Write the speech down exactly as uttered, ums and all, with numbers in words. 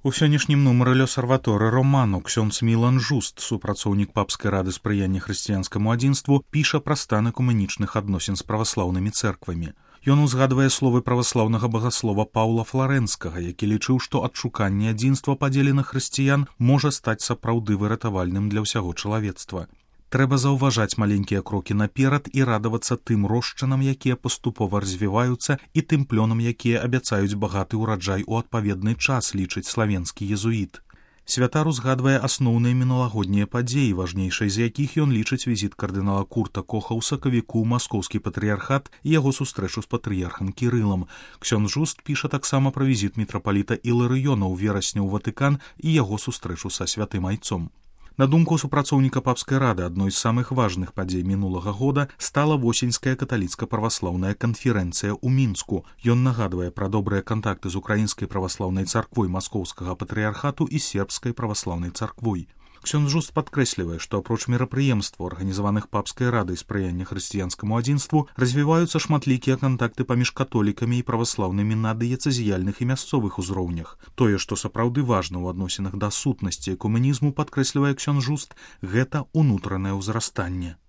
У сённяшнім нумары «Лёсарваторы» роману ксёндз Мілан Жуст, супрацоўнік папскай рады спрыяння хрысціянскаму адзінству, піша пра стан экуменічных адносін з праваслаўнымі цэрквамі. Ён узгадвае словы праваслаўнага багаслова Паўла Фларэнскага, які лічыў, што адшуканне адзінства падзеленых хрысціян можа стаць сапраўды выратавальным для ўсяго чалавецтва. Трэба заўважаць маленькія крокі наперад і радавацца тым рошчынам, якія паступова развіваюцца, і тым плёнам, якія абяцаюць багаты ўраджай у адпаведны час, лічыць славенскі езуіт. Святар узгадвае асноўныя мінулагоднія падзеі, важнейшай з якіх ён лічыць візіт кардынала Курта Коха ў сакавіку ў маскоўскі патрыярхат і яго сустрэчу з патрыярхам Кірылам. Ксёндз Жуст піша таксама пра візіт мітрапаліта Іларыёна ў верасні ў Ватыкан і яго сустрэчу са святым айцом. На думку супрацоўніка папскай рады, адной з самых важных падзей мінулага года стала восеньская каталіцка-праваслаўная канферэнцыя ў Мінску. Ён нагадвае пра добрыя кантакты з украінскай праваслаўнай царквой маскоўскага патрыярхату і сербскай праваслаўнай царквой. Ксёндз Жуст падкрэслівае, што апроч мерапрыемстваў, арганізаваных папскай радай спрыяння хрысціянскаму адзінству, развіваюцца шматлікія кантакты паміж католікамі і праваслаўнымі на дыяцэзіяльных і мясцовых узроўнях. Тое, што сапраўды важна ў адносінах да сутнасці экуменізму, падкрэслівае ксёндз Жуст, гэта ўнутранае ўзрастанне.